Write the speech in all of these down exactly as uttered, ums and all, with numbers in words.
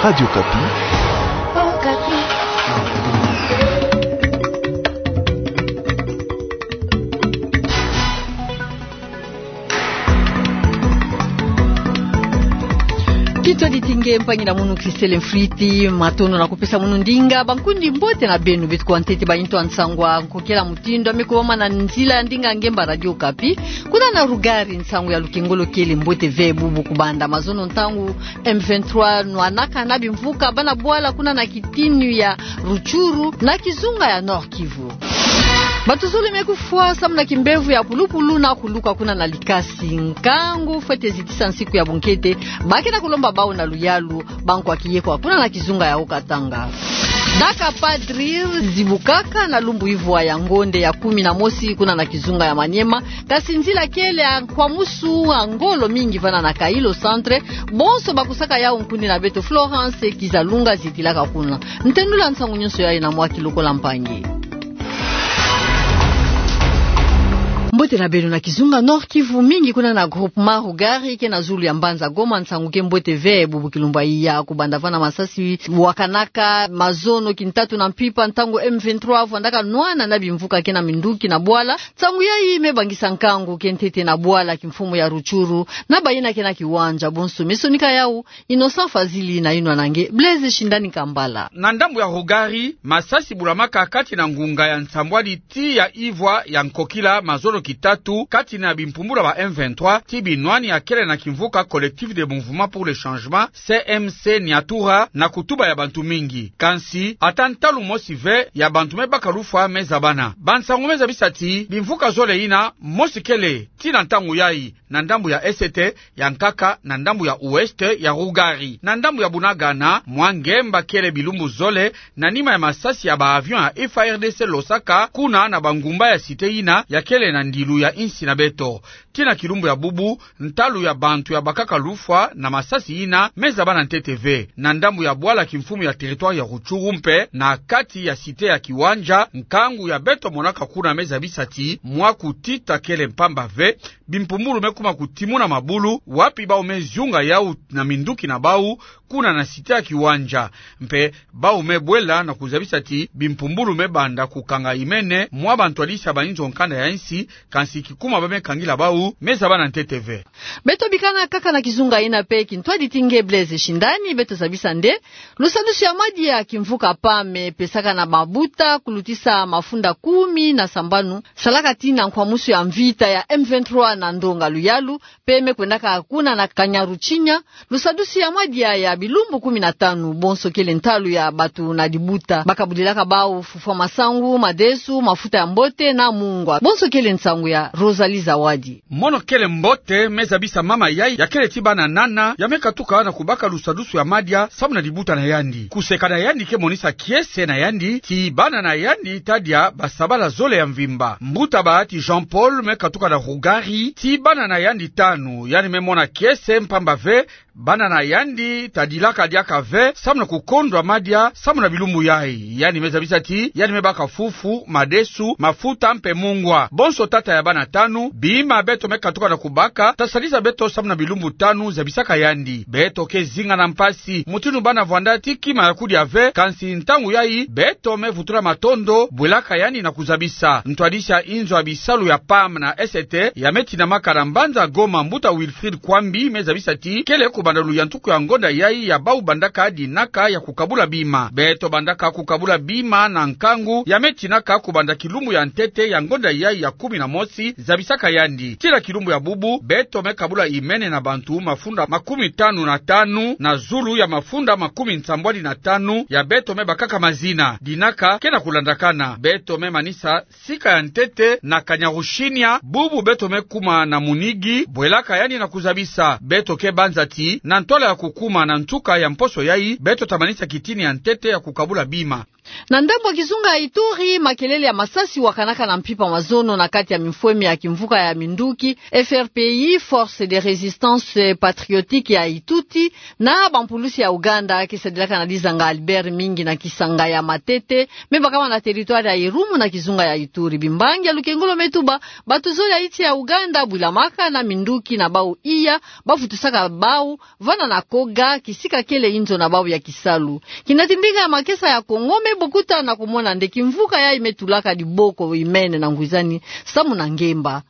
Radio Okapi. Kintwadi ti nge mpangi na munu Christelle Mfriti, matondo na kupesa munu ndinga. Bankundi, mbote na beno. Beto kwa ntete bainto ya nsangu ya nkokela mutindu ya me kubama na nzila ya ndinga ngemba Radio Okapi. Kuna na Rougari, nsangu ya lukengolo kele mbote ve bubu kubanda mazono, ntangu M vingt-trois nwanaka na bimvuka bana bwala kuna na kitini ya Rutshuru na kizunga ya Nord-Kivu. Bato zole me kufwa samu na kimbevo ya pulupulu na kuluka kuna na Likasi. Nkangu fwete zitisa nsiku ya bunkete, ba ke na kulomba bau na luyalu, bankwa kiye kwa kuna na kizunga ya Haut-Katanga. Daka padri zibukaka na lumbu ivwa ya ngonde ya kumi na mosi kuna na kizunga ya Maniema, kasi nzila kele ya nkwamusu ya ngolo mingi vana na Kailo Centre. Bonso bakusaka yau nkundi na beto Florence Kizalunga zitilaka kuna. Ntenula nsangu nyonso yayi na mwa kilokola mpangi. Mbote na beno. Na kizunga Nord-Kivu, mingi kuna na groupement Rougari ke na zulu ya mbanza Goma, nsangu ke mbote ve bubu kilumbu yayi kubanda vana masasi wakanaka mazono kintatu na mpimpa, ntangu M vingt-trois vwandaka nwana na bimvuka ke na minduki na bwala. Nsangu yayi me bangisa nkangu ke ntete na bwala kimfumu ya Rutshuru na bayina ke na kiwanja. Bonso me sonika yau, Innocent Fazili na yinwa na nge Blaise Shindani Kambala. Na ndambu ya Rougari, masasi bulamaka kati na ngunga ya nsambwadi tii ya ivwa ya nkokila mazono kintatu kati na bimpumbulu ba M vingt-trois ti binwani ya kele na kimvuka Collectif de Mouvement pour le Changement, C M C Niatura, na kutuba ya bantu mingi. Kansi, ata ntalu mosi ve ya bantu me baka lufwa me zabana. Bansangu me zabisa ti bimvuka zole yina, mosi kele ti na ntangu yayi na ndambu ya Est, ya nkaka na ndambu ya Ouest ya Rougari. Na ndambu ya Bunagana, mwa ngemba kele bilumbu zole, na nima ya masasi ya ba avion ya F A R D C losaka kuna na bangumba ya cité yina ya kele na ndilu ya insi na beto. Ti na kilumbu ya bubu, ntalu ya bantu ya bakaka lufwa na masasi yina me zabana ntete ve. Na ndambu ya bwala kimfumu ya territoire ya Rutshuru mpe, na kati ya cité ya Kiwanja, nkangu ya beto monaka kuna me zabisa ti mwa kutita kele mpamba ve, bimpumbulu me kuma kutimuna mabulu, wapi bau me zunga yau na minduki na bau, kuna na cité ya Kiwanja. Mpe bau me bwela na kuzabisa ti bimpumbulu me banda kukanga imene mwa bantwadisi ya bainzo nkanda ya insi, kansi kikuma ba me kangila bau me zabana ntete ve. Beto bikana kaka na kizunga yina mpe, kintwadi ti nge Blaise Shindani, beto zabisa nde lusadusu ya madia kimvuka PAM pesaka na mabuta kulutisa mafunda kumi na sambanu salaka tii na nkwamusu ya mvita ya M vingt-trois na ndonga luyalu, mpe me kwendaka kuna na Kanyaruchinya, lusadusu ya madia ya bilumbu kumi na tanu. Bonso kele ntalu ya bato na dibuta bakabudilaka bau fufwa masangu, madesu, mafuta ya mbote na mungwa. Bonso kele nsangu ya Rosalie Zawadi. Mono kele mbote me zabisa mama yayi ya kele ti bana nana, ya me katuka na kubaka lusadusu ya madia samu na dibuta na yandi. Kuseka na yandi ke monisa kiese na yandi ti bana na yandi tadia basabala zole ya mvimba. Mbuta bahati Jean-Paul me katuka na Rougari ti bana na yandi tanu, yandi me mona kiese mpamba ve bana na yandi tadilaka diaka ve samu na kukondwa madia samu na bilumbu yayi. Yandi me zabisa ti yandi me baka fufu, madesu, mafuta mpe mungwa. Bonso tata ya bana tanu, bima beto me katuka na kubaka tasalisa beto samu na bilumbu tanu, zabisaka yandi. Beto ke zinga na mpasi mutindu bana vwanda ti kima ya kudia ve, kansi ntangu yayi beto me vutula matondo, bwelaka yandi na kuzabisa. Ntwadisi ya inzo ya bisalu ya PAM na Est ya me tinamaka na mbanza Goma, mbuta Wilfried Kwambi, me zabisa ti kele kubanda luyantuku ya ngonda yayi ya bau bandaka dinaka ya kukabula bima. Beto bandaka kukabula bima na nkangu ya me tinaka kubanda kilumbu ya ntete ya ngonda yayi ya kumi na mosi, zabisaka yandi. Ti na kilumbu ya bubu, beto me kabula imene na bantu mafunda makumi tanu na tanu, na zulu ya mafunda makumi nsambwadi na tanu ya beto me bakaka mazina. Dinaka ke na kulandakana. Beto me manisa sika ya ntete na Kanyaruchinya, bubu beto me kuma na munigi, bwelaka yandi na kuzabisa. Beto ke banza ti na ntwala ya kukuma na nsuka ya mposo yayi, beto ta manisa kitini ya ntete ya kukabula bima. Na ndambu ya kizunga ya Ituri, makelele ya masasi wakanaka na mpimpa mazono na kati ya mifweme ya kimvuka ya minduki F R P I, Force de Résistance Patriotique ya Tutsi, na bampulusi ya Ouganda, ke sadilaka na dizanga Albert mingi na kisanga ya Matete, me bakama na territoire ya Irumu na kizunga ya Ituri. Bimbangi ya lukengolo me tuba, bato zole ya nsi ya Ouganda bwilamaka na minduki na bau iya, bavutusaka bau vana na Koga, kisika kele inzo na bau ya kisalu. Kina ti ndinga ya makesa ya Kongo me bokuta na kumona nde kimvuka yayi me tulaka diboko imene na ngwizani samu na ngemba.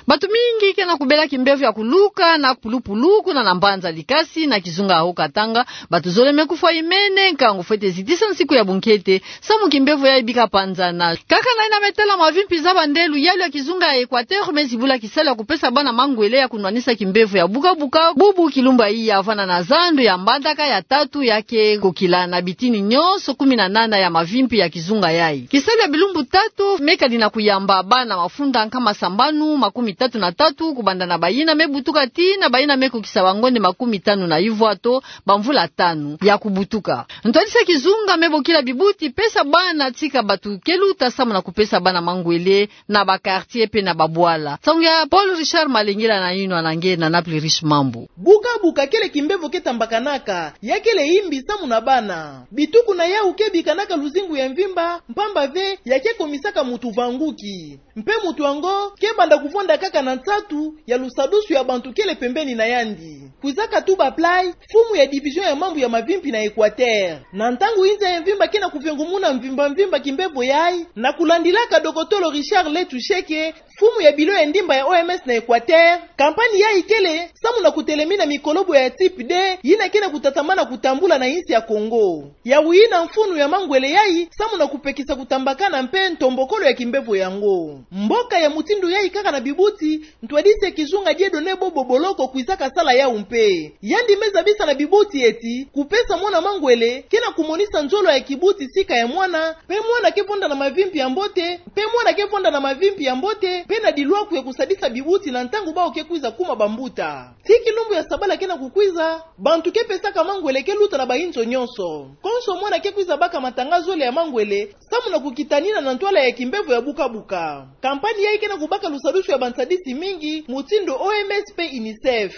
Bato mingi ke na kubela kimbevo ya kuluka na pulupulu kuna na mbanza Likasi na kizunga ya Haut-Katanga. Bato zole me kufwa imene, nkangu fwete zitisa nsiku ya bunkete, samu kimbevo yayi bika panzana. Kaka na yina me tala mavimpi za bande, luyalu ya kizunga ya Equateur me zibula kisalu ya kupesa bana mangwele ya kunwanisa kimbevo ya bukabuka, bubu kilumbu iya, vana na zandu ya mbandaka ya tatu ya ke kokila na bitini nyonso kumi na nana ya mavimpi ya kizunga yayi. Kisalu ya bilumbu tatu me kadi na kuyamba bana mafunda nkama sambanu makumi tatu na tatu, kubanda na bayina me butuka tii na bayina me kokisa bangonde makumi tanu na ivwa to bamvula tanu ya kubutuka. Ntwadisi ya kizunga me bokila bibuti pesa bana tika bato ke luta samu na kupesa bana mangwele na ba quartier pe na babwala. Nsangu ya Paul Richard Malengela na yinwa na nge na Napoli Riche Mambu. Bukabuka kele kimbevo ke tambakanaka, ya kele yimbi samu na bana. Bituku na yau ke bikanaka luzingu ya mvimba, mpamba ve ya ke komisaka mutu vanguki. Mpe mutu yango ke banda kuvonda kaka na nsatu ya lusadusu ya bantu kele pembeni na yandi. Kwizaka tuba Play, mfumu ya division ya mambu ya mavimpi na Equateur. Na ntangu inza ya mvimba ke na kuvengumuna mvimba mvimba kimbevo yayi, na kulandilaka dokotolo Richard Letusheke, mfumu ya bilo ya ndimba ya O M S na Equateur, kampani yayi kele samu na kutelemina mikolobo ya type deux, yina ke na kutatamana kutambula na insi ya Kongo. Yau yina mfunu ya mangwele yayi samu na kupekisa kutambakana mpe ntombokolo ya kimbevo yango. Mboka ya mutindu yayi kaka na bibuti, ntwadisi ya kizunga Dieudonné Bobo Boloko kwizaka sala yau mpe. Yandi me zabisa na bibuti eti kupesa mwana mangwele ke na kumonisa nzolo ya kibuti sika ya mwana, mpe mwana ke vonda na mavimpi ya mbote, mpe mwana ke vonda na mavimpi ya mbote, mpe na dilwaku ya kusadisa bibuti na ntangu bau ke kwiza kuma bambuta. Tii kilumbu ya sabala ke na kukwiza, bantu ke pesaka mangwele ke luta na bainzo nyonso. Konso mwana ke kwiza baka matanga zole ya mangwele, samu na kukitanina na ntwala ya kimbevo ya bukabuka. Kampani yayi ke na kubaka lusadusu ya bansadisi mingi, mutindu O M S mpe UNICEF.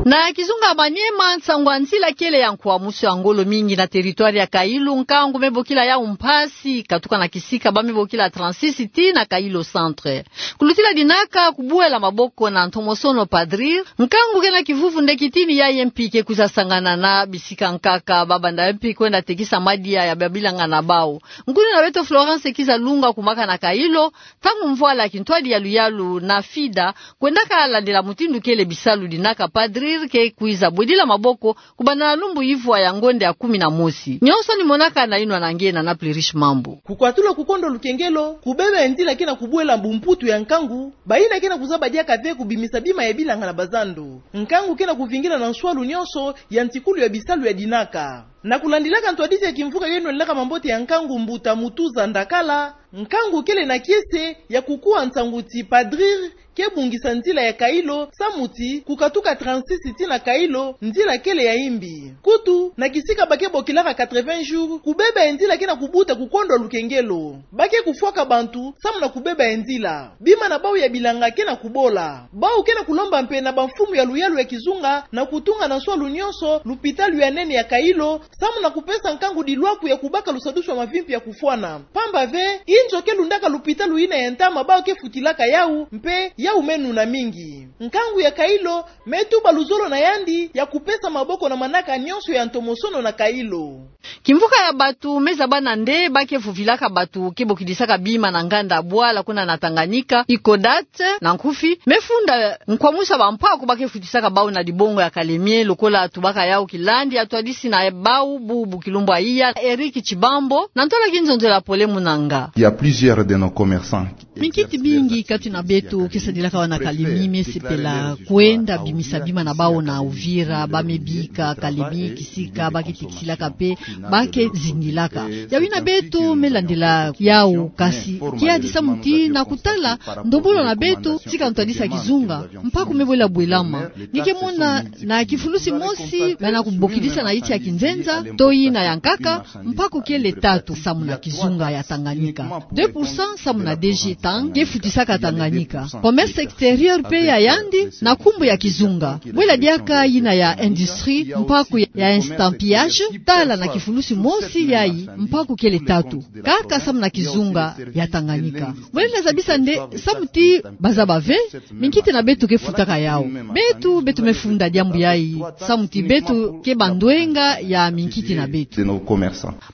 Na kizunga Maniema, nsangu ya nzila kele ya nkwamusu ya ngolo mingi na territoire ya Kailo, nkangu me bokila yau mpasi, katuka na kisika ba me bokila trente-six tii na Kailo Centre. Kulutila dinaka kubuela maboko na ntomosono Padrir, nkangu ke na kivuvu nde kitini yayi mpi ke kwiza sangana na bisika nkaka, ba banda mpi kwenda tekisa madia ya babilanga na bau. Nkuni na beto Florence Kizalunga kumaka na Kailo, ntangu mvwala kintwadi ya luyalu na FIDA kwendaka landila mutindu kele bisalu dinaka Padrir ke kwiza bwedila maboko kubanda na lumbu ivwa ya ngonde ya kumi na mosi. Nyonso ni monaka na yinwa na nge na Napoli Riche Mambu. Kukwatula kukondwa lukengelo, kubeba ya nzila ke na kubuela bumputu ya nkangu, bayina ke na kuzaba diaka ve kubimisa bima ya bilanga na bazando. Nkangu ke na kuvingila na nswalu nyonso ya ntikulu ya bisalu ya dinaka. Na kulandilaka ntwadisi ya kimvuka yo nwanilaka mambote ya nkangu, mbuta Mutuza Ndakala, nkangu kele na kiese ya kukuwa nsangu ti Padrir ke bungisa nzila ya Kailo, samu ti kukatuka trente-six tii na Kailo, nzila kele ya yimbi. Kutu, na kisika ba ke bokilaka quatre-vingts jours, kubeba ya nzila ke na kubuta kukondwa lukengelo. Ba ke kufwaka bantu samu na kubeba ya nzila. Bima na bau ya bilanga ke na kubola. Bau ke na kulomba mpe na bamfumu ya luyalu ya kizunga na kutunga na nswalu nyonso lupitalu ya nene ya Kailo, samu na kupesa nkangu dilwaku ya kubaka lusadusu ya mavimpi ya kufwana. Mpamba ve, inzo ke lundaka lupitalu yina ya ntama bau ke futilaka yau, mpe yau me nuna mingi. Nkangu ya Kailo me tuba luzolo na yandi ya kupesa maboko na manaka nyonso ya ntomosono na Kailo. Kimvuka ya bato me zabana nde ba ke vuvilaka bato ke bokidisaka bima na nganda bwala kuna na Tanganyika, Icodat na nkufi, me funda nkwamusu ya bampaku ba ke futisaka bau na dibongo ya kalemie, lokola tubaka yau kilandi ya ntwadisi na bau bubu kilumbu ya iya, Eric Tshibambo, na ntwala kinzonzela Pole Munanga. Il y a plusieurs de nos commerçants qui Minkiti mingi kati na beto ke sadilaka wana kalemi me sepela kwenda bimisa bima na bawu na Uvira, ba me bika kalemi kisika, ba ke tikisilaka mpe, ba ke zingilaka. Yawu yina beto me landila yawu, kasi kiadi samu ti na kutala ndombolo na beto, tika ntwadisa kizunga mpaku me bwela bwelama. Nge ke mona na kifulusi mosi bana kubokidisa na yinti ya kinzenza, to yina ya nkaka, mpaku kele tatu samu na kizunga ya Tanganyika, deux pour cent samu na D G Tang ke futisaka Tanganyika. Commerce extérieur mpe ya yandi na nkumbu ya kizunga. Bwela diaka yina ya industrie, mpaku ya estampillage, tala na kifulusi mosi yayi, mpaku kele tatu kaka samu na kizunga ya Tanganyika. Bwela zabisa nde samu ti bazaba ve, minkiti na beto ke futaka yawu. Beto, beto me funda diambu yayi, samu ti beto ke bandwenga ya minkiti na beto.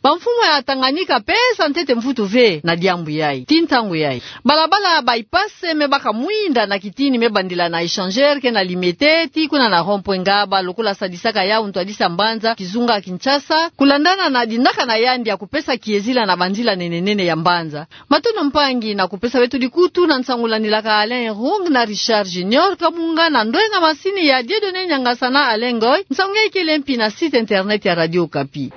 Bamfumu ya Tanganyika pesa ntete mvutu ve na diambu yayi. Ti ntangu yayi, balabala bypass me baka mwinda na kitini me bandila na Échangeur ke na Limete tii kuna na rond-point Ngaba, lokola sadisaka yawu ntwadisi ya mbanza kizunga Kinshasa, kulandana na dinaka na yandi ya kupesa kiezila na banzila nene nene ya mbanza. Matondo mpangi na kupesa beto dikutu na nsangu landilaka Alain Rung na Richard Junior Kabunga na ndwenga masini ya Dieudonné Niangasa na Alain Ngoy. Nsangu yayi kele mpi na site internet ya Radio Okapi.